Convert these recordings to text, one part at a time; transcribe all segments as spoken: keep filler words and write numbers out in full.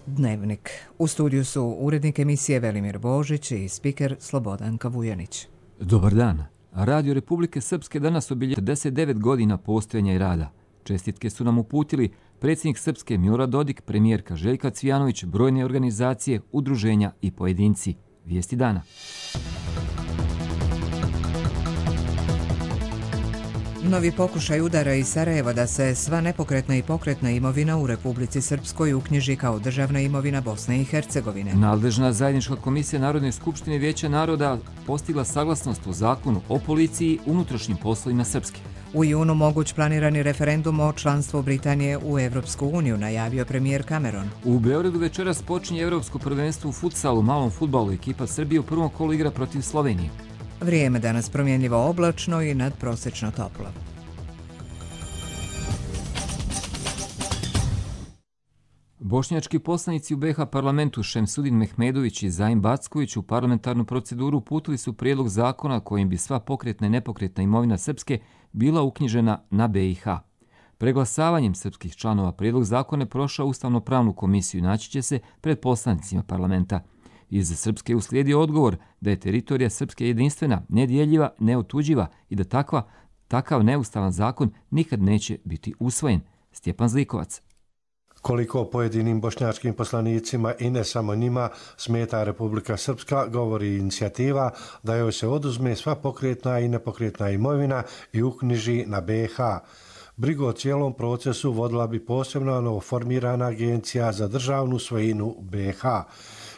Dnevnik. U studiju su urednik emisije Velimir Božić i spiker Slobodanka Vujanić. Dobar dan. Radio Republike Srpske danas obilježava četrdeset devet godina postojanja i rada. Čestitke su nam uputili predsjednik Srpske Milorad Dodik, premijerka Željka Cvijanović, brojne organizacije, udruženja i pojedinci. Vijesti dana. Novi pokušaj udara iz Sarajeva da se sva nepokretna i pokretna imovina u Republici Srpskoj uknjiži kao državna imovina Bosne i Hercegovine. Nadležna zajednička komisija Narodne skupštine Vijeća naroda postigla saglasnost o zakonu o policiji i unutrašnjim poslovima Srpske. U junu moguć planirani referendum o članstvu Britanije u Evropsku uniju, najavio premijer Cameron. U Beogradu večeras počinje Evropsko prvenstvo u futsalu, malom fudbalu. Ekipa Srbije u prvom kolu igra protiv Slovenije. Vrijeme danas promjenljivo oblačno i nadprosečno toplo. Bošnjački poslanici u B iH parlamentu Šemsudin Mehmedović i Zaim Backović u parlamentarnu proceduru uputili su prijedlog zakona kojim bi sva pokretna i nepokretna imovina Srpske bila uknjižena na B iH. Preglasavanjem srpskih članova prijedlog zakona je prošao Ustavno-pravnu komisiju i naći će se pred poslanicima parlamenta. Iz Srpske je uslijedio odgovor da je teritorija Srpske jedinstvena, nedjeljiva, neotuđiva i da takva, takav neustavan zakon nikad neće biti usvojen. Stjepan Zlikovac. Koliko pojedinim bošnjačkim poslanicima i ne samo njima smeta Republika Srpska, govori inicijativa da joj se oduzme sva pokretna i nepokretna imovina i uknjiži na B iH. Brigu o cijelom procesu vodila bi posebno novoformirana agencija za državnu svojinu B iH.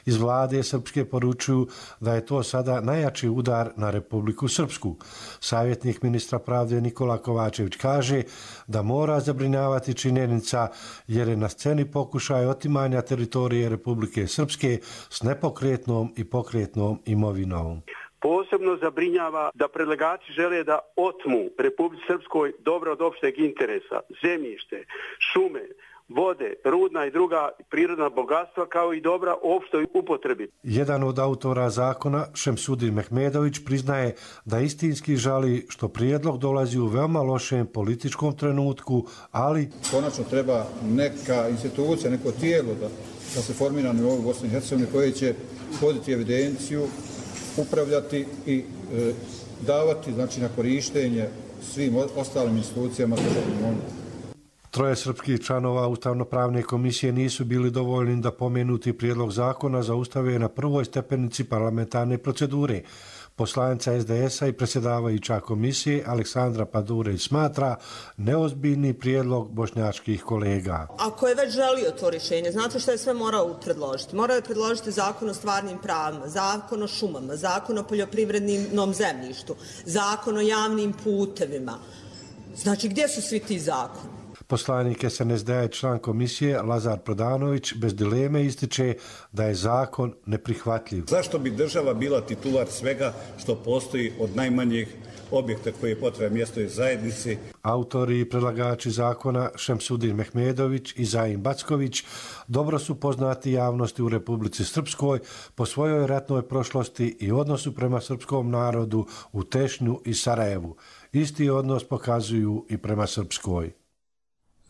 Iz vlade Srpske poručuju da je to sada najjači udar na Republiku Srpsku. Savjetnik ministra pravde Nikola Kovačević kaže da mora zabrinjavati činjenica jer je na sceni pokušaj otimanja teritorije Republike Srpske s nepokretnom i pokretnom imovinom. Posebno zabrinjava da predlagači žele da otmu Republici Srpskoj dobro od opšteg interesa, zemljište, šume, vode, rudna i druga prirodna bogatstva kao i dobra opštoj upotrebi. Jedan od autora zakona, Šemsudin Mehmedović, priznaje da istinski žali što prijedlog dolazi u veoma lošem političkom trenutku, ali konačno treba neka institucija, neko tijelo da, da se formira na nivou Bosne i Hercegovine koje će voditi evidenciju, upravljati i e, davati znači, na korištenje svim ostalim institucijama državnom. Troje srpskih članova Ustavno-pravne komisije nisu bili dovoljni da pomenuti prijedlog zakona zaustave na prvoj stepenici parlamentarne procedure. Poslanica S D S-a i predsjedavajuća komisije Aleksandra Padurević smatra neozbiljni prijedlog bošnjačkih kolega. Ako je već želio to rješenje, znate što je sve morao predložiti? Morao je predložiti zakon o stvarnim pravima, zakon o šumama, zakon o poljoprivrednom zemljištu, zakon o javnim putevima. Znači, gdje su svi ti zakoni? Poslanik S N S D-a i član komisije Lazar Prodanović bez dileme ističe da je zakon neprihvatljiv. Zašto bi država bila titular svega što postoji od najmanjih objekta koji je potreban mjestoj zajednici? Autori i predlagači zakona Šemsudin Mehmedović i Zaim Backović dobro su poznati javnosti u Republici Srpskoj po svojoj ratnoj prošlosti i odnosu prema srpskom narodu u Tešnju i Sarajevu. Isti odnos pokazuju i prema Srpskoj.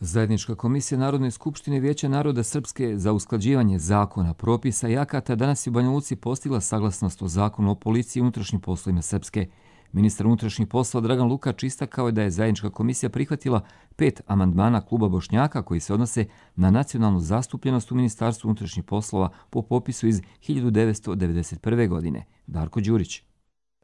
Zajednička komisija Narodne skupštine Vijeća naroda Srpske za usklađivanje zakona, propisa i akata danas je u Banja Luci postigla saglasnost o zakonu o policiji i unutrašnjim poslovima Srpske. Ministar unutrašnjih poslova Dragan Lukač istakao je da je zajednička komisija prihvatila pet amandmana kluba Bošnjaka koji se odnose na nacionalnu zastupljenost u Ministarstvu unutrašnjih poslova po popisu iz hiljadu devetsto devedeset prve. godine. Darko Đurić.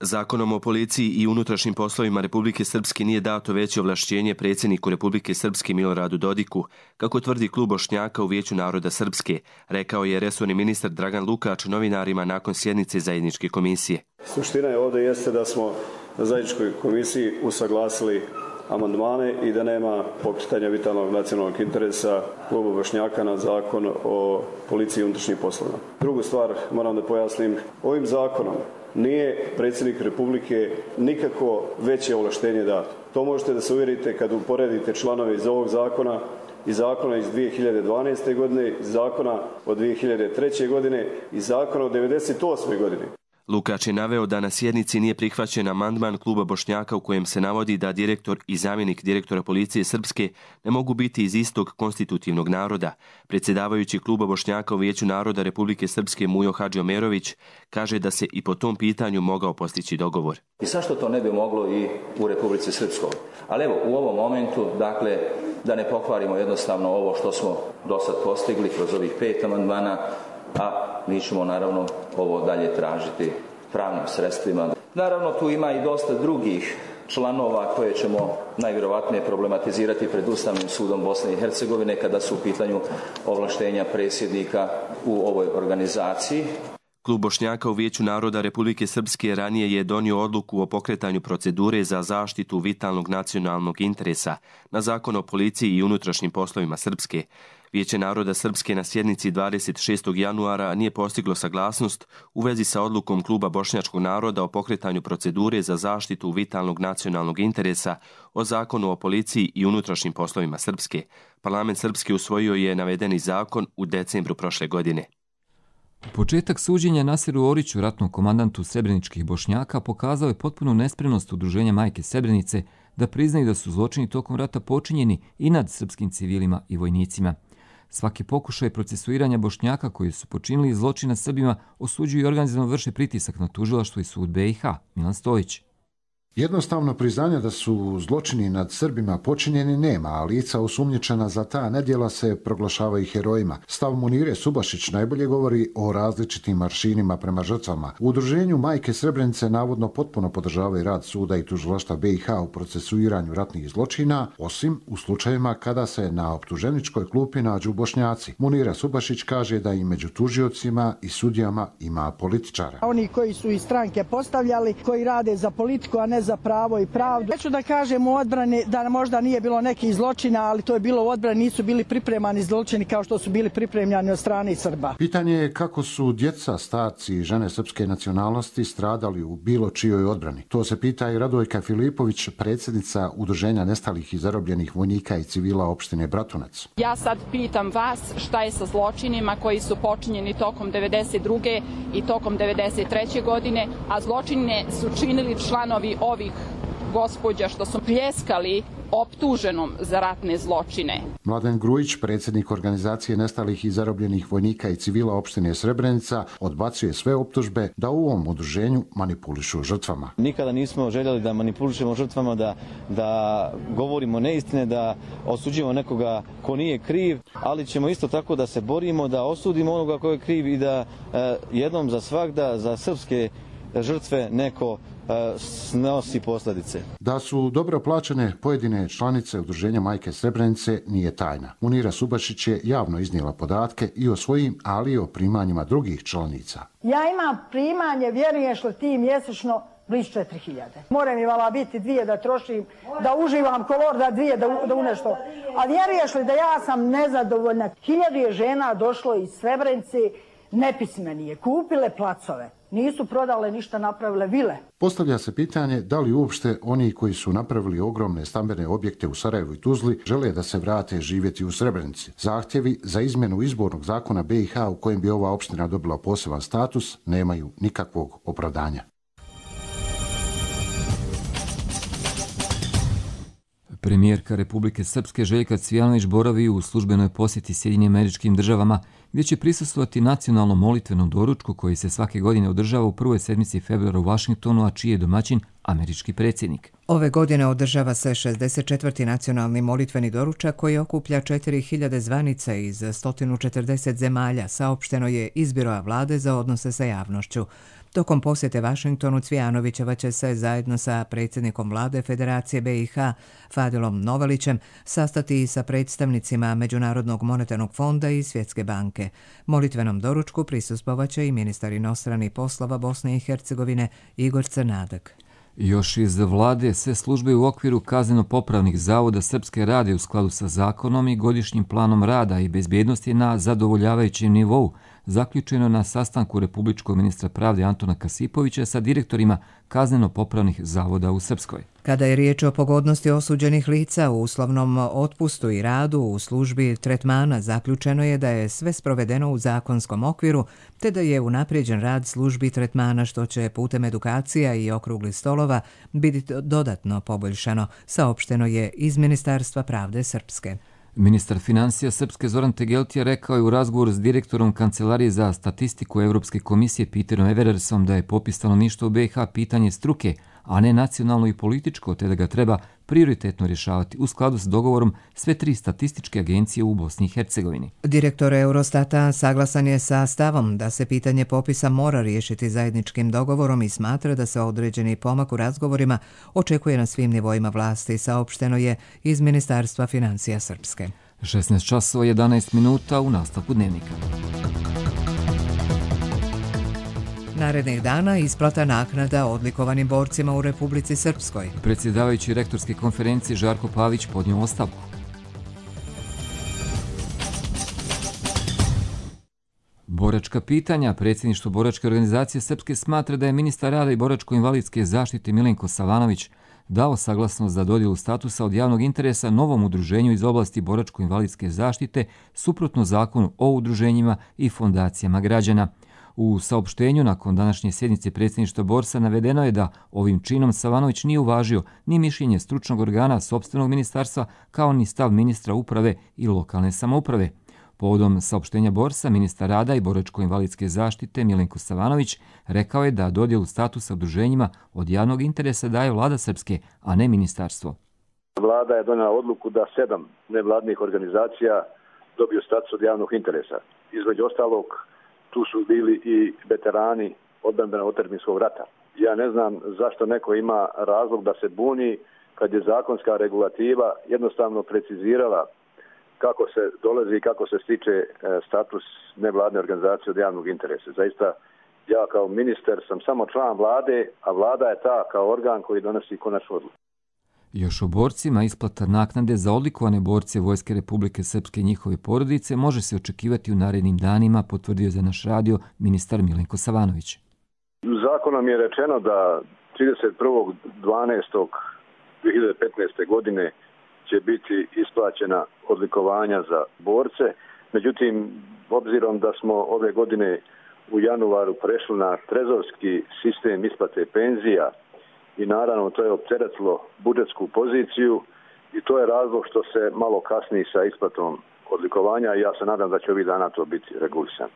Zakonom o policiji i unutrašnjim poslovima Republike Srpske nije dato veće ovlašćenje predsjedniku Republike Srpske Miloradu Dodiku, kako tvrdi klub Bošnjaka u Vijeću naroda Srpske, rekao je resorni ministar Dragan Lukač novinarima nakon sjednice zajedničke komisije. Suština je ovdje jeste da smo na zajedničkoj komisiji usaglasili amandmane i da nema pokretanja vitalnog nacionalnog interesa kluba Bošnjaka na zakon o policiji i unutrašnjim poslovima. Drugu stvar moram da pojasnim, ovim zakonom nije predsjednik Republike nikako veće ovlaštenje dato. To možete da se uvjerite kad uporedite članove iz ovog zakona i zakona iz dvije hiljade dvanaeste. godine, iz zakona od dvije hiljade treće. godine i zakona od devedeset osme. godine. Lukač je naveo da na sjednici nije prihvaćen amandman kluba Bošnjaka u kojem se navodi da direktor i zamjenik direktora policije Srpske ne mogu biti iz istog konstitutivnog naroda. Predsjedavajući kluba Bošnjaka u Vijeću naroda Republike Srpske Mujo Hadžiomerović kaže da se i po tom pitanju mogao postići dogovor. I zašto to ne bi moglo i u Republici Srpskoj? Ali evo, u ovom momentu, dakle, da ne pokvarimo jednostavno ovo što smo do sad postigli kroz ovih pet amandmana, a mi ćemo naravno ovo dalje tražiti pravnim sredstvima. Naravno tu ima i dosta drugih članova koje ćemo najvjerovatnije problematizirati pred Ustavnim sudom Bosne i Hercegovine kada su u pitanju ovlaštenja predsjednika u ovoj organizaciji. Klub Bošnjaka u Vijeću naroda Republike Srpske ranije je donio odluku o pokretanju procedure za zaštitu vitalnog nacionalnog interesa na Zakon o policiji i unutrašnjim poslovima Srpske. Vijeće naroda Srpske na sjednici dvadeset šestog januara nije postiglo saglasnost u vezi sa odlukom Kluba Bošnjačkog naroda o pokretanju procedure za zaštitu vitalnog nacionalnog interesa o Zakonu o policiji i unutrašnjim poslovima Srpske. Parlament Srpske usvojio je navedeni zakon u decembru prošle godine. Početak suđenja Nasiru Oriću, ratnom komandantu srebreničkih Bošnjaka, pokazao je potpunu nespremnost Udruženja Majke Srebrenice da priznaju da su zločini tokom rata počinjeni i nad srpskim civilima i vojnicima. Svaki pokušaj procesuiranja Bošnjaka koji su počinili zločina Srbima osuđuju i organizovano vrše pritisak na tužilaštvo i sud B i H. Milan Stojić. Jednostavno priznanje da su zločini nad Srbima počinjeni nema, a lica osumnjičena za ta nedjela se proglašavaju herojima. Stav Munire Subašić najbolje govori o različitim maršinima prema žrtvama. U Udruženju Majke Srebrenice navodno potpuno podržavaju rad suda i tužilaštva B i H u procesuiranju ratnih zločina, osim u slučajevima kada se na optuženičkoj klupi nađu Bošnjaci. Munira Subašić kaže da i među tužiocima i sudijama ima političara. Oni koji su iz stranke postavljali, koji rade za politiku, a ne za pravo i pravdu. Neću da kažem u odbrani da možda nije bilo nekih zločina, ali to je bilo u odbrani, nisu bili pripremani zločini kao što su bili pripremljani od strane Srba. Pitanje je kako su djeca, starci i žene srpske nacionalnosti stradali u bilo čijoj odbrani. To se pita i Radojka Filipović, predsjednica Udruženja nestalih i zarobljenih vojnika i civila opštine Bratunac. Ja sad pitam vas šta je sa zločinima koji su počinjeni tokom devedeset druge i tokom devedeset treće godine, a zločine su činili članovi ovih gospođa što su pljeskali optuženom za ratne zločine. Mladen Grujić, predsjednik organizacije nestalih i zarobljenih vojnika i civila opštine Srebrenica, odbacuje sve optužbe da u ovom udruženju manipulišu žrtvama. Nikada nismo željeli da manipulišemo žrtvama, da, da govorimo neistine, da osuđujemo nekoga ko nije kriv, ali ćemo isto tako da se borimo, da osudimo onoga ko je kriv i da eh, jednom za svagda za srpske žrtve neko snosi posljedice. Da su dobro plaćene pojedine članice Udruženja Majke Srebrenice nije tajna. Munira Subašić je javno iznijela podatke i o svojim, ali i o primanjima drugih članica. Ja imam primanje, vjeruješ li ti, mjesečno blizu četiri hiljade. More mi vala biti dvije da trošim, da uživam kolor, da dvije da, da u nešto. A vjeruješ li da ja sam nezadovoljna? Hiljadu je žena došlo iz Srebrenice, nepismenije, kupile placove. Nisu prodale ništa, napravile vile. Postavlja se pitanje da li uopšte oni koji su napravili ogromne stambene objekte u Sarajevu i Tuzli žele da se vrate živjeti u Srebrenici. Zahtjevi za izmjenu izbornog zakona B i H u kojem bi ova opština dobila poseban status nemaju nikakvog opravdanja. Premijerka Republike Srpske Željka Cvijanović boravi u službenoj posjeti Sjedinjenim Američkim Državama, gdje će prisustvovati nacionalnom molitvenom doručku koji se svake godine održava u prvoj sedmici februara u Vašingtonu, a čiji je domaćin američki predsjednik. Ove godine održava se šezdeset četvrti nacionalni molitveni doručak koji okuplja četiri hiljade zvanica iz sto četrdeset zemalja, saopšteno je iz Biroa vlade za odnose sa javnošću. Tokom posjete Vašingtonu Cvijanovićeva će se zajedno sa predsjednikom vlade Federacije B i H Fadilom Novalićem sastati i sa predstavnicima Međunarodnog monetarnog fonda i Svjetske banke. Molitvenom doručku prisustvovaće i ministar inostranih poslova Bosne i Hercegovine Igor Crnadak. Još iz vlade sve službe u okviru kazneno-popravnih zavoda Srpske rade u skladu sa zakonom i godišnjim planom rada i bezbjednosti na zadovoljavajućem nivou, zaključeno na sastanku republičkog ministra pravde Antona Kasipovića sa direktorima kazneno-popravnih zavoda u Srpskoj. Kada je riječ o pogodnosti osuđenih lica u uslovnom otpustu i radu u službi tretmana, zaključeno je da je sve sprovedeno u zakonskom okviru, te da je unaprijeđen rad službi tretmana, što će putem edukacija i okruglih stolova biti dodatno poboljšano, saopšteno je iz Ministarstva pravde Srpske. Ministar financija Srpske Zoran Tegeltija rekao je u razgovoru s direktorom Kancelarije za statistiku Evropske komisije Peterom Everersom da je popis stanovništva u B iH pitanje struke, a ne nacionalno i političko, te da ga treba prioritetno rješavati u skladu s dogovorom sve tri statističke agencije u Bosni i Hercegovini. Direktor Eurostata saglasan je sa stavom da se pitanje popisa mora riješiti zajedničkim dogovorom i smatra da se određeni pomak u razgovorima očekuje na svim nivoima vlasti, saopšteno je iz Ministarstva financija Srpske. šesnaest časova jedanaest minuta u nastavku dnevnika. Narednih dana isplata naknada odlikovanim borcima u Republici Srpskoj. Predsjedavajući rektorske konferencije Žarko Pavić podnio ostavku. Boračka pitanja. Predsjedništvo Boračke organizacije Srpske smatra da je ministar rada i boračko-invalidske zaštite Milenko Savanović dao saglasnost za dodjelu statusa od javnog interesa novom udruženju iz oblasti boračko-invalidske zaštite suprotno zakonu o udruženjima i fondacijama građana. U saopštenju nakon današnje sjednice predsjedništva Borsa navedeno je da ovim činom Savanović nije uvažio ni mišljenje stručnog organa sopstvenog ministarstva kao ni stav ministra uprave i lokalne samouprave. Povodom saopštenja Borsa, ministar rada i boračko-invalidske zaštite Milenko Savanović rekao je da dodjelu statusa udruženjima od javnog interesa daje vlada Srpske, a ne ministarstvo. Vlada je donijela odluku da sedam nevladnih organizacija dobiju status od javnog interesa. Između ostalog, tu su bili i veterani odbrambenog otadžbinskog rata. Ja ne znam zašto neko ima razlog da se buni kad je zakonska regulativa jednostavno precizirala kako se dolazi i kako se stiče status nevladne organizacije od javnog interesa. Zaista, ja kao ministar sam samo član vlade, a vlada je ta kao organ koji donosi konačnu odluku. Još o borcima, isplata naknade za odlikovane borce Vojske Republike Srpske i njihove porodice može se očekivati u narednim danima, potvrdio za naš radio ministar Milenko Savanović. Zakonom je rečeno da trideset prvog dvanaestog dve hiljade petnaeste. godine će biti isplaćena odlikovanja za borce. Međutim, obzirom da smo ove godine u januaru prešli na trezorski sistem isplate penzija, i naravno to je opteretilo budžetsku poziciju i to je razlog što se malo kasni sa isplatom odlikovanja i ja se nadam da će ovih dana to biti regulisano.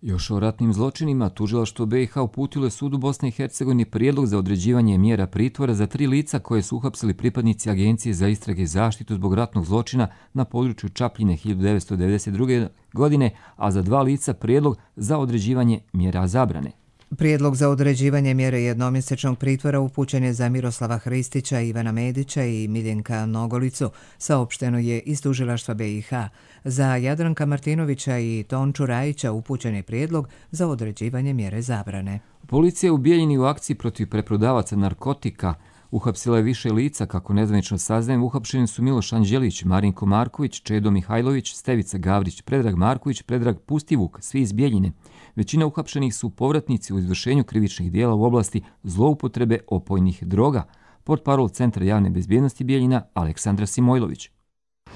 Još o ratnim zločinima, tužilaštvo B iH uputilo je sudu Bosne i Hercegovine prijedlog za određivanje mjera pritvora za tri lica koje su uhapsili pripadnici Agencije za istrage i zaštitu zbog ratnog zločina na području Čapljine hiljadu devetsto devedeset druge. godine, a za dva lica prijedlog za određivanje mjera zabrane. Prijedlog za određivanje mjere jednomjesečnog pritvora upućen je za Miroslava Hristića, Ivana Medića i Miljenka Nogolicu, saopšteno je iz tužilaštva B iH. Za Jadranka Martinovića i Tonču Rajića upućen je prijedlog za određivanje mjere zabrane. Policija je u Bijeljini u akciji protiv preprodavaca narkotika uhapsila je više lica, kako nezvanično saznajem. Uhapšeni su Miloš Anđelić, Marinko Marković, Čedo Mihajlović, Stevica Gavrić, Predrag Marković, Predrag Pustivuk, svi iz Bijeljine. Većina uhapšenih su povratnici u izvršenju krivičnih dijela u oblasti zloupotrebe opojnih droga. Portparol Centra javne bezbjednosti Bijeljina Aleksandra Simojlović.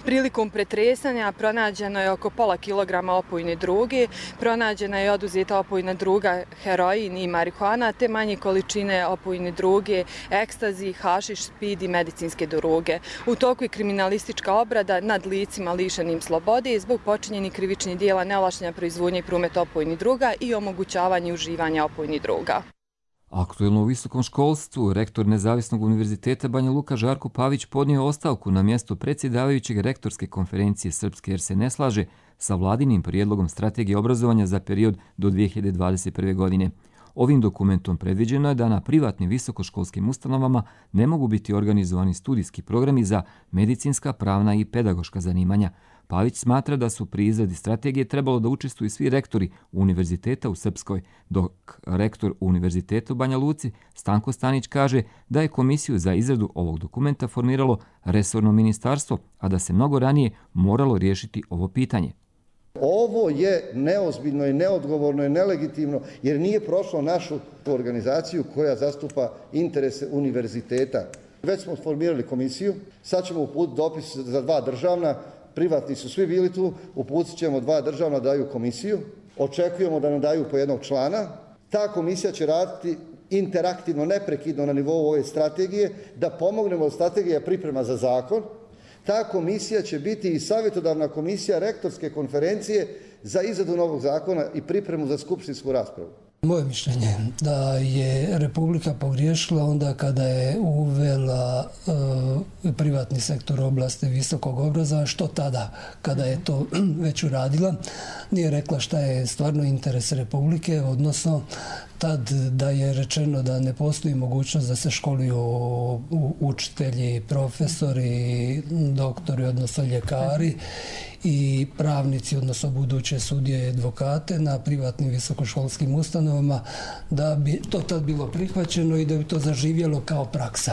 Prilikom pretresanja pronađeno je oko pola kilograma opojne droge, pronađena je oduzeta opojna droga heroin i marihuana, te manje količine opojne droge, ekstazi, hašiš, speed i medicinske droge. U toku je kriminalistička obrada nad licima lišenim slobode zbog počinjenih krivičnih dijela neovlašćene proizvodnje i prometa opojnih droga i omogućavanje uživanja opojnih droga. Aktuelno u visokom školstvu, rektor Nezavisnog univerziteta Banja Luka Žarko Pavić podnio ostavku na mjesto predsjedavajućeg rektorske konferencije Srpske jer se ne slaže sa vladinim prijedlogom strategije obrazovanja za period do dvije hiljade dvadeset prve. godine. Ovim dokumentom predviđeno je da na privatnim visokoškolskim ustanovama ne mogu biti organizovani studijski programi za medicinska, pravna i pedagoška zanimanja. Pavić smatra da su pri izradi strategije trebalo da učestvuju svi rektori univerziteta u Srpskoj, dok rektor univerziteta u Banja Luci Stanko Stanić kaže da je komisiju za izradu ovog dokumenta formiralo resorno ministarstvo, a da se mnogo ranije moralo riješiti ovo pitanje. Ovo je neozbiljno i neodgovorno i nelegitimno jer nije prošlo našu organizaciju koja zastupa interese univerziteta. Već smo formirali komisiju, sad ćemo uputiti dopis za dva državna, privatni su svi bili tu, uputit ćemo dva državna daju komisiju, očekujemo da nam daju po jednog člana. Ta komisija će raditi interaktivno, neprekidno na nivou ove strategije, da pomognemo od strategija priprema za zakon. Ta komisija će biti i savjetodavna komisija rektorske konferencije za izradu novog zakona i pripremu za skupštinsku raspravu. Moje mišljenje da je Republika pogriješila onda kada je uvela e, privatni sektor oblasti visokog obrazovanja, što tada kada je to već uradila. Nije rekla šta je stvarno interes Republike, odnosno tad da je rečeno da ne postoji mogućnost da se školuju učitelji, profesori, doktori, odnosno ljekari i pravnici, odnosno buduće sudije i advokate na privatnim visokoškolskim ustanovama, da bi to tad bilo prihvaćeno i da bi to zaživjelo kao praksa.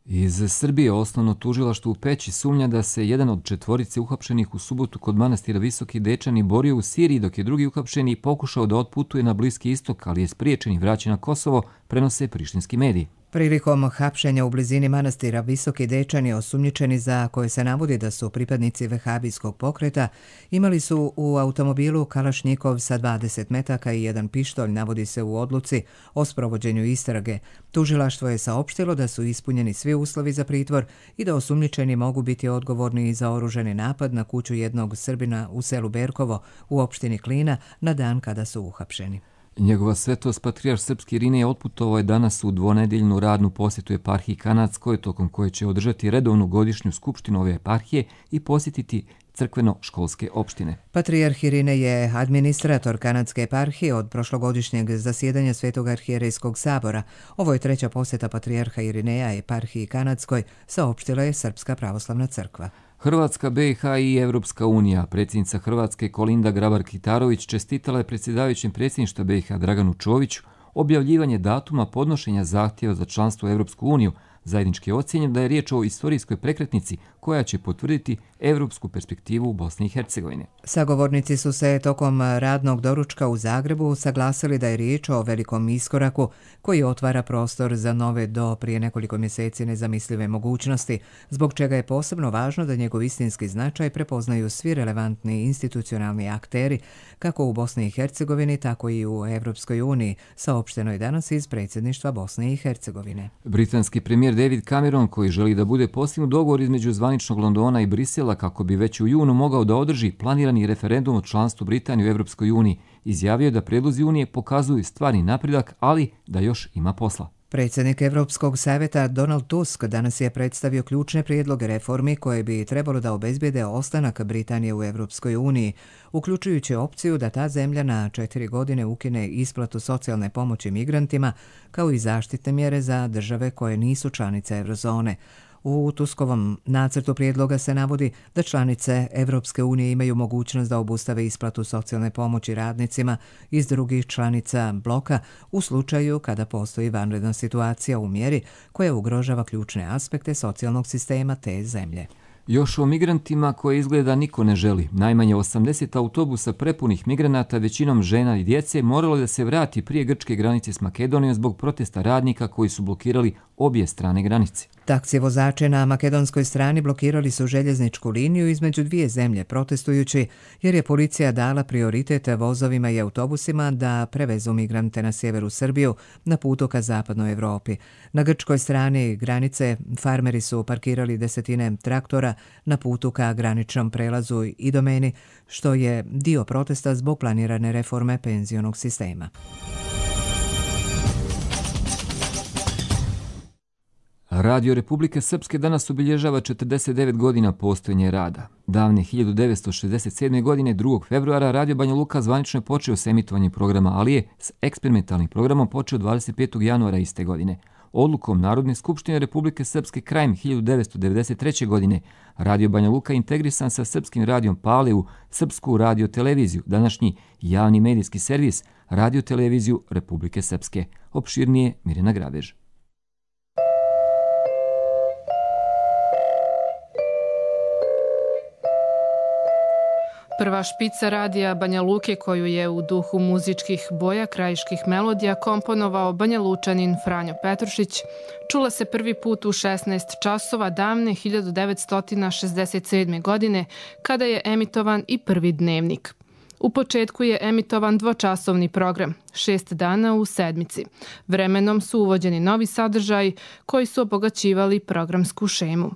Iz Srbije osnovno tužilaštvo u Peći sumnja da se jedan od četvorice uhapšenih u subotu kod manastira Visoki Dečani borio u Siriji, dok je drugi uhapšeni pokušao da otputuje na Bliski istok, ali je spriječen i vraćen na Kosovo, prenose prištinski mediji. Prilikom hapšenja u blizini manastira Visoki Dečani, osumnjičeni za koje se navodi da su pripadnici vehabijskog pokreta, imali su u automobilu kalašnjikov sa dvadeset metaka i jedan pištolj, navodi se u odluci o sprovođenju istrage. Tužilaštvo je saopštilo da su ispunjeni svi uslovi za pritvor i da osumnjičeni mogu biti odgovorni i za oružani napad na kuću jednog Srbina u selu Berkovo u opštini Klina na dan kada su uhapšeni. Njegova svetost patrijarh srpski Irinej otputovao je danas u dvonedeljnu radnu posjetu eparhiji Kanadskoj, tokom koje će održati redovnu godišnju skupštinu ove eparhije i posjetiti crkveno-školske opštine. Patrijarh Irinej je administrator Kanadske eparhije od prošlogodišnjeg zasjedanja Svetog arhijerejskog sabora. Ovo je treća posjeta patrijarha Irineja eparhiji Kanadskoj, saopštila je Srpska pravoslavna crkva. Hrvatska, B i H i Evropska unija. Predsjednica Hrvatske Kolinda Grabar-Kitarović čestitala je predsjedavajućem predsjedništva B i H Draganu Čoviću objavljivanje datuma podnošenja zahtjeva za članstvo u Evropsku uniju. Zajednički je ocijenjen da je riječ o istorijskoj prekretnici koja će potvrditi evropsku perspektivu u Bosni i Hercegovini. Sagovornici su se tokom radnog doručka u Zagrebu saglasili da je riječ o velikom iskoraku koji otvara prostor za nove do prije nekoliko mjeseci nezamislive mogućnosti, zbog čega je posebno važno da njegov istinski značaj prepoznaju svi relevantni institucionalni akteri, kako u Bosni i Hercegovini, tako i u Evropskoj uniji, saopšteno je danas iz predsjedništva Bosne i Hercegovine. Britanski premijer David Cameron, koji želi da bude postignut dogovor između zvaničnog Londona i Brisela kako bi već u junu mogao da održi planirani referendum o članstvu Britanije u Evropskoj uniji, izjavio je da predlozi Unije pokazuju stvarni napredak, ali da još ima posla. Predsjednik Evropskog savjeta Donald Tusk danas je predstavio ključne prijedloge reformi koje bi trebalo da obezbijede ostanak Britanije u Evropskoj uniji, uključujući opciju da ta zemlja na četiri godine ukine isplatu socijalne pomoći migrantima, kao i zaštitne mjere za države koje nisu članice eurozone. U Tuskovom nacrtu prijedloga se navodi da članice Evropske unije imaju mogućnost da obustave isplatu socijalne pomoći radnicima iz drugih članica bloka u slučaju kada postoji vanredna situacija u mjeri koja ugrožava ključne aspekte socijalnog sistema te zemlje. Još o migrantima koje izgleda niko ne želi. Najmanje osamdeset autobusa prepunih migranata, većinom žena i djece, moralo da se vrati prije grčke granice s Makedonijom zbog protesta radnika koji su blokirali obje strane granice. Taksi vozače na makedonskoj strani blokirali su željezničku liniju između dvije zemlje protestujući jer je policija dala prioritet vozovima i autobusima da prevezu migrante na sjeveru Srbiju na putu ka zapadnoj Evropi. Na grčkoj strani granice farmeri su parkirali desetine traktora na putu ka graničnom prelazu i domeni, što je dio protesta zbog planirane reforme penzionog sistema. Radio Republike Srpske danas obilježava četrdeset devet godina postojanja rada. Davne hiljadu devetsto šezdeset sedme. godine, drugog februara, Radio Banja Luka zvanično je počeo s emitovanjem programa, ali je s eksperimentalnim programom počeo dvadeset petog januara iste godine. Odlukom Narodne skupštine Republike Srpske krajem hiljadu devetsto devedeset treće. godine Radio Banja Luka integrisan sa Srpskim radijom Pale u Srpsku radioteleviziju, današnji javni medijski servis Radioteleviziju Republike Srpske. Opširnije Mirjana Grabež. Prva špica radija Banja Luke, koju je u duhu muzičkih boja krajiških melodija komponovao Banja Lučanin Franjo Petrušić, čula se prvi put u šesnaest časova davne hiljadu devetsto šezdeset sedme. godine, kada je emitovan i prvi dnevnik. U početku je emitovan dvočasovni program, šest dana u sedmici. Vremenom su uvođeni novi sadržaji koji su obogaćivali programsku šemu.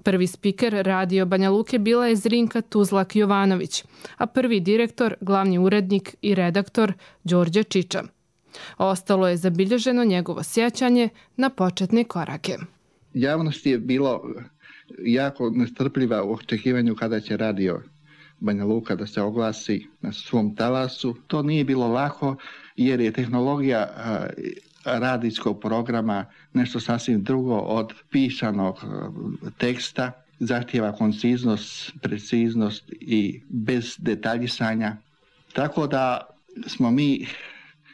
Prvi spiker radio Banja Luke bila je Zrinka Tuzlak-Jovanović, a prvi direktor, glavni urednik i redaktor Đorđe Čiča. Ostalo je zabilježeno njegovo sjećanje na početne korake. Javnost je bilo jako nestrpljiva u očekivanju kada će radio Banja Luka da se oglasi na svom talasu. To nije bilo lako jer je tehnologija radijskog programa nešto sasvim drugo od pisanog teksta. Zahtijeva konciznost, preciznost i bez detaljisanja. Tako da smo mi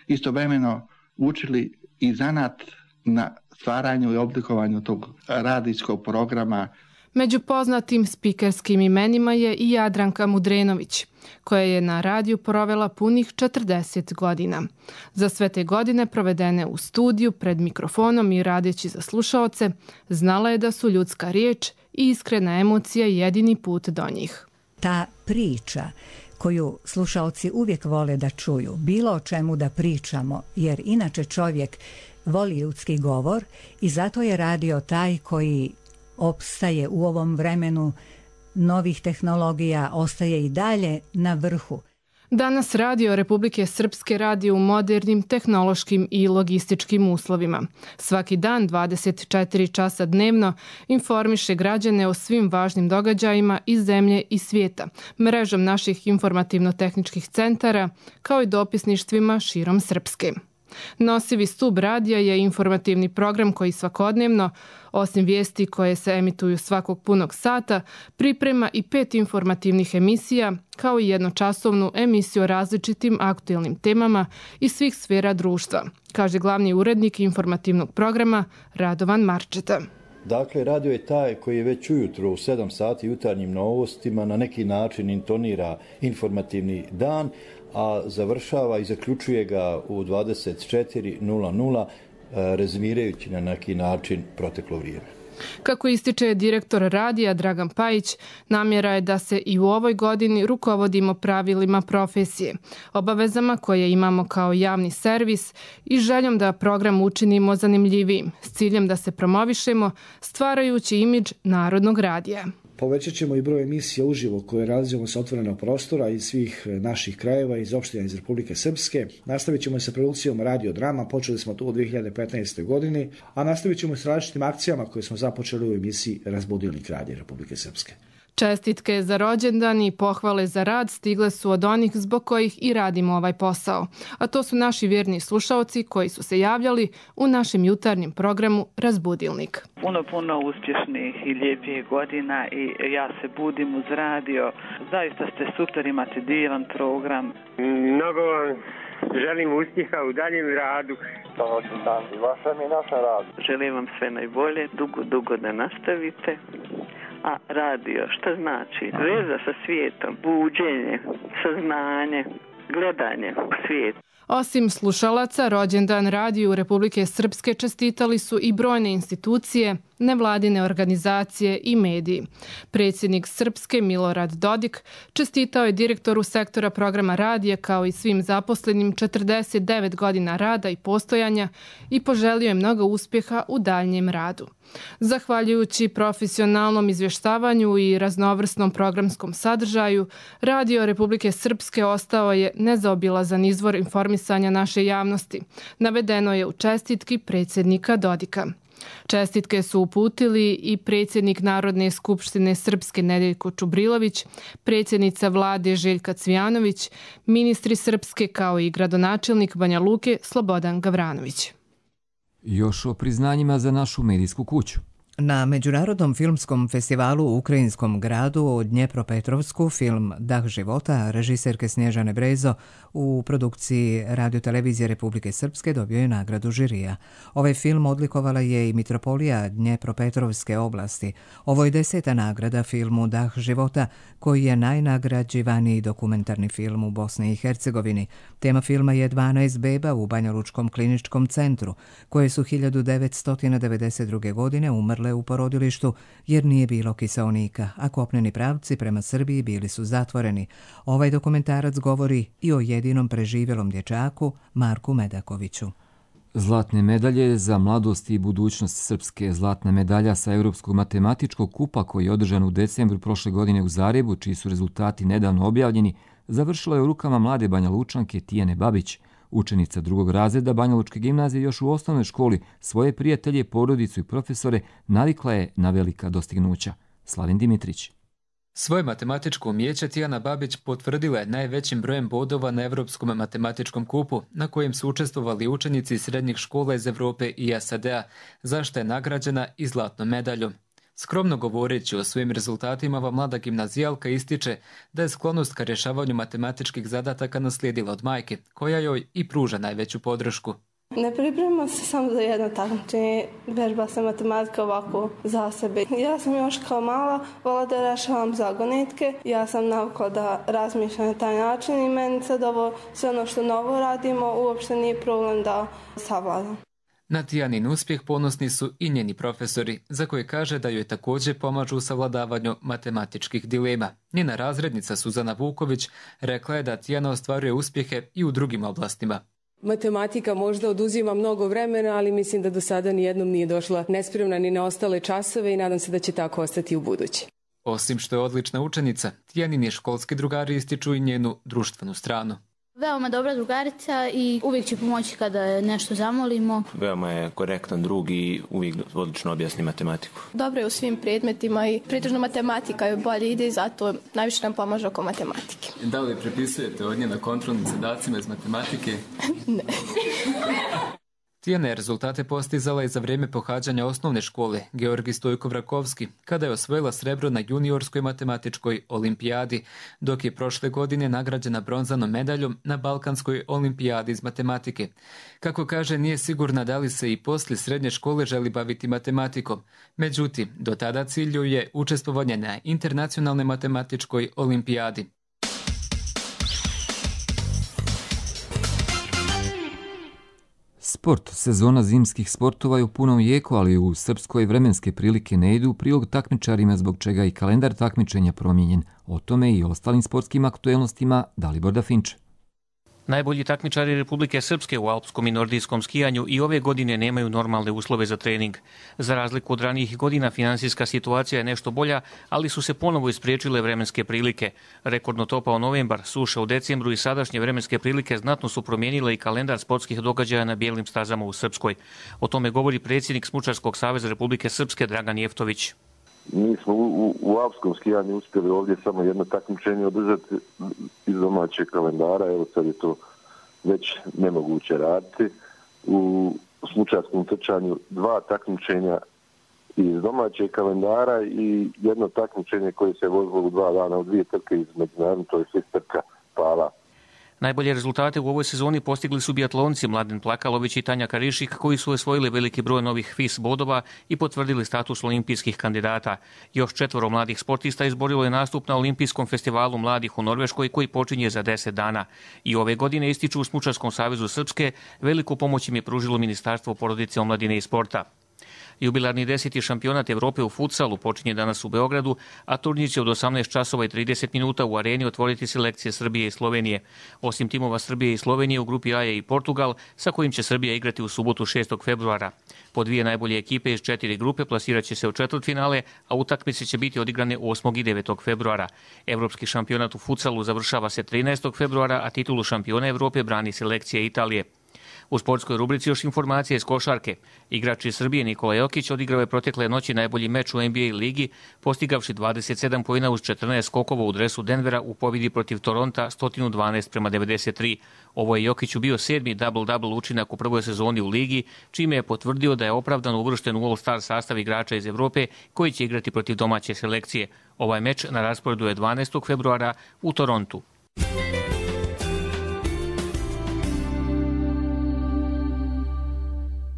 istovremeno učili i zanat na stvaranju i oblikovanju tog radijskog programa. Među poznatim spikerskim imenima je i Jadranka Mudrenović, koja je na radiju provela punih četrdeset godina. Za sve te godine provedene u studiju, pred mikrofonom i radeći za slušaoce, znala je da su ljudska riječ i iskrena emocija jedini put do njih. Ta priča koju slušaoci uvijek vole da čuju, bilo o čemu da pričamo, jer inače čovjek voli ljudski govor i zato je radio taj koji opstaje u ovom vremenu novih tehnologija, ostaje i dalje na vrhu. Danas radio Republike Srpske radi u modernim tehnološkim i logističkim uslovima. Svaki dan dvadeset četiri časa dnevno informiše građane o svim važnim događajima iz zemlje i svijeta, mrežom naših informativno-tehničkih centara, kao i dopisništvima širom Srpske. Nosivi stub radija je informativni program koji svakodnevno, osim vijesti koje se emituju svakog punog sata, priprema i pet informativnih emisija, kao i jednočasovnu emisiju o različitim aktuelnim temama iz svih sfera društva, kaže glavni urednik informativnog programa Radovan Marčeta. Dakle, radio je taj koji je već ujutro u sedam sati jutarnjim novostima na neki način intonira informativni dan, a završava i zaključuje ga u dvadeset četiri nula nula, rezimirajući na neki način proteklo vrijeme. Kako ističe direktor radija Dragan Pajić, namjera je da se i u ovoj godini rukovodimo pravilima profesije, obavezama koje imamo kao javni servis i željom da program učinimo zanimljivijim, s ciljem da se promovišemo, stvarajući imidž Narodnog radija. Povećat ćemo i broj emisija uživo koje realizujemo sa otvorenog prostora iz svih naših krajeva, iz opština iz Republike Srpske. Nastavit ćemo sa produkcijom radiodrama, počeli smo to u dvije hiljade petnaestoj. godini, a nastavit ćemo s različitim akcijama koje smo započeli u emisiji Razbudilnik radija Republike Srpske. Čestitke za rođendan i pohvale za rad stigle su od onih zbog kojih i radimo ovaj posao, a to su naši vjerni slušaoci koji su se javljali u našem jutarnjem programu Razbudilnik. Puno, puno uspješnih i lijepih godina i ja se budim uz radio. Zaista ste super, imate divan program. Mnogo vam želim uspjeha u daljem radu. Donoću dan i vašem i našem radu. Želim vam sve najbolje, dugo, dugo da nastavite. A radio, šta znači? Veza sa svijetom, buđenje, saznanje, gledanje u svijet. Osim slušalaca, rođendan radiju Republike Srpske čestitali su i brojne institucije, nevladine organizacije i mediji. Predsjednik Srpske Milorad Dodik čestitao je direktoru sektora programa radija kao i svim zaposlenim četrdeset devet godina rada i postojanja i poželio je mnogo uspjeha u daljnjem radu. Zahvaljujući profesionalnom izvještavanju i raznovrsnom programskom sadržaju, Radio Republike Srpske ostao je nezaobilazan izvor informisanja naše javnosti, navedeno je u čestitki predsjednika Dodika. Čestitke su uputili i predsjednik Narodne skupštine Srpske Nedeljko Čubrilović, predsjednica vlade Željka Cvijanović, ministri Srpske kao i gradonačelnik Banja Luke Slobodan Gavranović. Još o priznanjima za našu medijsku kuću. Na Međunarodnom filmskom festivalu u ukrajinskom gradu u Dnjepropetrovsku film Dah života režiserke Snježane Brezo u produkciji Radiotelevizije Republike Srpske dobio je nagradu žirija. Ovaj film odlikovala je i mitropolija Dnjepropetrovske oblasti. Ovo je deseta nagrada filmu Dah života, koji je najnagrađivaniji dokumentarni film u Bosni i Hercegovini. Tema filma je dvanaest beba u Banjalučkom kliničkom centru, koje su hiljadu devetsto devedeset druge. godine umrle u porodilištu jer nije bilo kiseonika, a kopneni pravci prema Srbiji bili su zatvoreni. Ovaj dokumentarac govori i o jedinom preživjelom dječaku, Marku Medakoviću. Zlatne medalje za mladost i budućnost Srpske. Zlatna medalja sa Europskog matematičkog kupa koji je održan u decembru prošle godine u Zagrebu, čiji su rezultati nedavno objavljeni, završila je u rukama mlade Banjalučanke Tijane Babić. Učenica drugog razreda Banjalučke gimnazije još u osnovnoj školi svoje prijatelje, porodicu i profesore navikla je na velika dostignuća. Slavin Dimitrić. Svoje matematičko umijeće Tijana Babić potvrdila je najvećim brojem bodova na Evropskom matematičkom kupu, na kojem su učestvovali učenici srednjih škola iz Evrope i S A D-a, za što je nagrađena i zlatnom medaljom. Skromno govoreći o svojim rezultatima, ova mlada gimnazijalka ističe da je sklonost ka rješavanju matematičkih zadataka naslijedila od majke, koja joj i pruža najveću podršku. Ne pripremam se samo za jedno takmičenje, vežba se matematika ovako za sebe. Ja sam još kao mala vola da rješavam zagonetke, ja sam navikla da razmišljam na taj način i meni sad ovo sve ono što novo radimo uopšte nije problem da savladam. Na Tijanin uspjeh ponosni su i njeni profesori, za koje kaže da joj također pomažu u savladavanju matematičkih dilema. Njena razrednica Suzana Vuković rekla je da Tijana ostvaruje uspjehe i u drugim oblastima. Matematika možda oduzima mnogo vremena, ali mislim da do sada nijednom nije došla nespremna ni na ostale časove i nadam se da će tako ostati u budući. Osim što je odlična učenica, Tijanini školski drugari ističu i njenu društvenu stranu. Veoma dobra drugarica i uvijek će pomoći kada nešto zamolimo. Veoma je korektan drug i uvijek odlično objasni matematiku. Dobro je u svim predmetima i pretežno matematika je bolje ide i zato najviše nam pomaže oko matematike. Da li prepisujete od nje na kontrolnim zadacima iz matematike? Ne. Tijana je rezultate postizala i za vrijeme pohađanja osnovne škole Georgij Stojko-Vrakovski, kada je osvojila srebro na juniorskoj matematičkoj olimpijadi, dok je prošle godine nagrađena bronzanom medaljom na Balkanskoj olimpijadi iz matematike. Kako kaže, nije sigurna da li se i poslije srednje škole želi baviti matematikom. Međutim, do tada cilju je učestvovanje na internacionalnoj matematičkoj olimpijadi. Sport. Sezona zimskih sportova je u punom jeku, ali u Srpskoj vremenske prilike ne idu u prilog takmičarima, zbog čega i kalendar takmičenja promijenjen. O tome i ostalim sportskim aktuelnostima Dalibor Dafinče. Najbolji takmičari Republike Srpske u alpskom i nordijskom skijanju i ove godine nemaju normalne uslove za trening. Za razliku od ranijih godina, finansijska situacija je nešto bolja, ali su se ponovo ispriječile vremenske prilike. Rekordno topao novembar, suša u decembru i sadašnje vremenske prilike znatno su promijenile i kalendar sportskih događaja na bijelim stazama u Srpskoj. O tome govori predsjednik Smučarskog saveza Republike Srpske Dragan Jeftović. Mi smo u, u, u alpskom skijanju uspjeli ovdje samo jedno takmičenje održati iz domaćeg kalendara, evo sad je to već nemoguće raditi. U smučarskom trčanju dva takmičenja iz domaćeg kalendara i jedno takmičenje koje se vozilo u dva dana u dvije trke iz međunarodnog, to je sve trka pala. Najbolje rezultate u ovoj sezoni postigli su biatlonci Mladen Plakalović i Tanja Karišik, koji su osvojili veliki broj novih F I S bodova i potvrdili status olimpijskih kandidata. Još četvoro mladih sportista izborilo je nastup na Olimpijskom festivalu mladih u Norveškoj, koji počinje za deset dana. I ove godine, ističu u Smučarskom savezu Srpske, veliku pomoć im je pružilo Ministarstvo porodice, omladine i sporta. Jubilarni deseti šampionat Evrope u futsalu počinje danas u Beogradu, a turnir će od osamnaest časova i trideset minuta u areni otvoriti selekcije Srbije i Slovenije. Osim timova Srbije i Slovenije, u grupi A je i Portugal, sa kojim će Srbija igrati u subotu šestog februara. Po dvije najbolje ekipe iz četiri grupe plasirat će se u četvrtfinale, a utakmice će biti odigrane osmog i devetog februara. Evropski šampionat u futsalu završava se trinaestog februara, a titulu šampiona Evrope brani selekcija Italije. U sportskoj rubrici još informacije iz košarke. Igrač iz Srbije Nikola Jokić odigrao je protekle noći najbolji meč u N B A ligi, postigavši dvadeset sedam poena uz četrnaest skokova u dresu Denvera u pobjedi protiv Toronta sto dvanaest prema devedeset tri. Ovo je Jokiću bio sedmi double-double učinak u prvoj sezoni u ligi, čime je potvrdio da je opravdano uvršten u All-Star sastav igrača iz Evrope koji će igrati protiv domaće selekcije. Ovaj meč na rasporedu je dvanaestog februara u Torontu.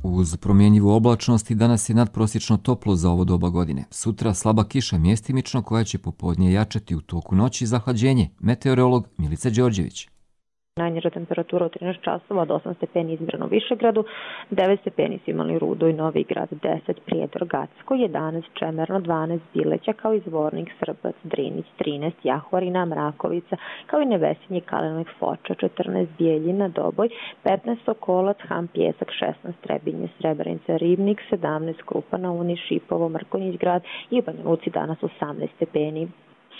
Uz promjenjivu oblačnost i danas je nadprosječno toplo za ovo doba godine. Sutra slaba kiša mjestimično koja će popodne jačati u toku noći zahlađenje. Meteorolog Milica Đorđević. Najniža temperatura od trinaest časova, od osam stepeni izmjereno u Višegradu, devet stepeni su imali Rudo i Novi Grad, deset Prijedor, Gacko, jedanaest Čemerno, dvanaest Bileća, kao i Zvornik, Srbac, Drinić, trinaest Jahorina, Mrakovica, kao i Nevesinje, Kalenovik, Foča, četrnaest Bijeljina, Doboj, petnaest Sokolac, Ham, Pjesak, šesnaest Trebinje, Srebrenica, Ribnik, sedamnaest Krupana, Uni, Šipovo, Mrkonjić Grad i u Banja Luci danas osamnaest stepeni.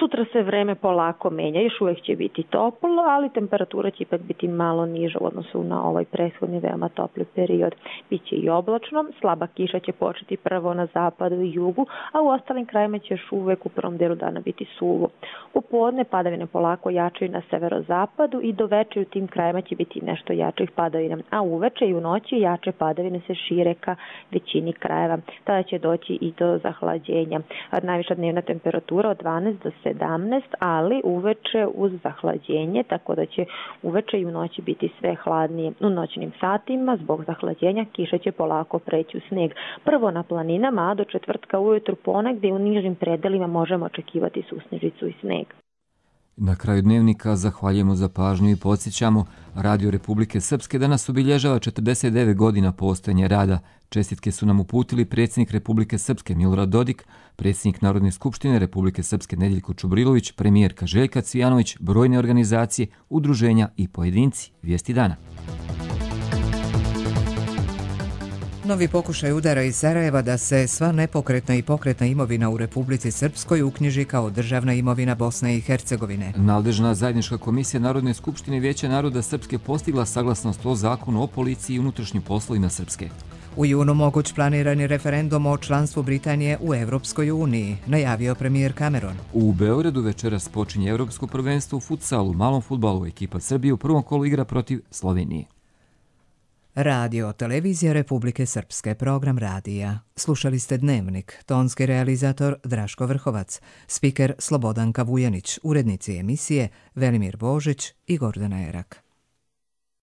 Sutra se vreme polako menja, još uvijek će biti toplo, ali temperatura će ipak biti malo niža u odnosu na ovaj prethodni veoma topli period. Biće i oblačno, slaba kiša će početi prvo na zapadu i jugu, a u ostalim krajima će još uvijek u prvom delu dana biti suvo. U podne padavine polako jačaju na severozapadu i do veče u tim krajima će biti nešto jačih padavina, a uveče i u noći jače padavine se šire ka većini krajeva. Tada će doći i do zahlađenja. Najviša dnevna temperatura od dvanaest do sedamnaest, ali uveče uz zahlađenje, tako da će uveče i u noći biti sve hladnije. U noćnim satima zbog zahlađenja kiša će polako preći u sneg. Prvo na planinama, a do četvrtka ujutru ponegdje u nižim predelima možemo očekivati susnežicu i sneg. Na kraju dnevnika zahvaljujemo za pažnju i podsjećamo, Radio Republike Srpske danas obilježava četrdeset devet godina postojanja rada. Čestitke su nam uputili predsjednik Republike Srpske Milorad Dodik, predsjednik Narodne skupštine Republike Srpske Nedeljko Čubrilović, premijerka Željka Cvijanović, brojne organizacije, udruženja i pojedinci. Vijesti dana. Novi pokušaj udara iz Sarajeva da se sva nepokretna i pokretna imovina u Republici Srpskoj uknjiži kao državna imovina Bosne i Hercegovine. Nadležna zajednička komisija Narodne skupštine Vijeća naroda Srpske postigla saglasnost o zakonu o policiji i unutrašnjim poslovima Srpske. U junu moguć planirani referendum o članstvu Britanije u Evropskoj uniji, najavio premijer Cameron. U Beogradu večeras počinje Evropsko prvenstvo u futsalu, malom fudbalu. Ekipa Srbije u prvom kolu igra protiv Slovenije. Radio, televizija Republike Srpske, program radija. Slušali ste Dnevnik, tonski realizator Draško Vrhovac, spiker Slobodanka Vujanić, urednici emisije Velimir Božić i Gordana Erak.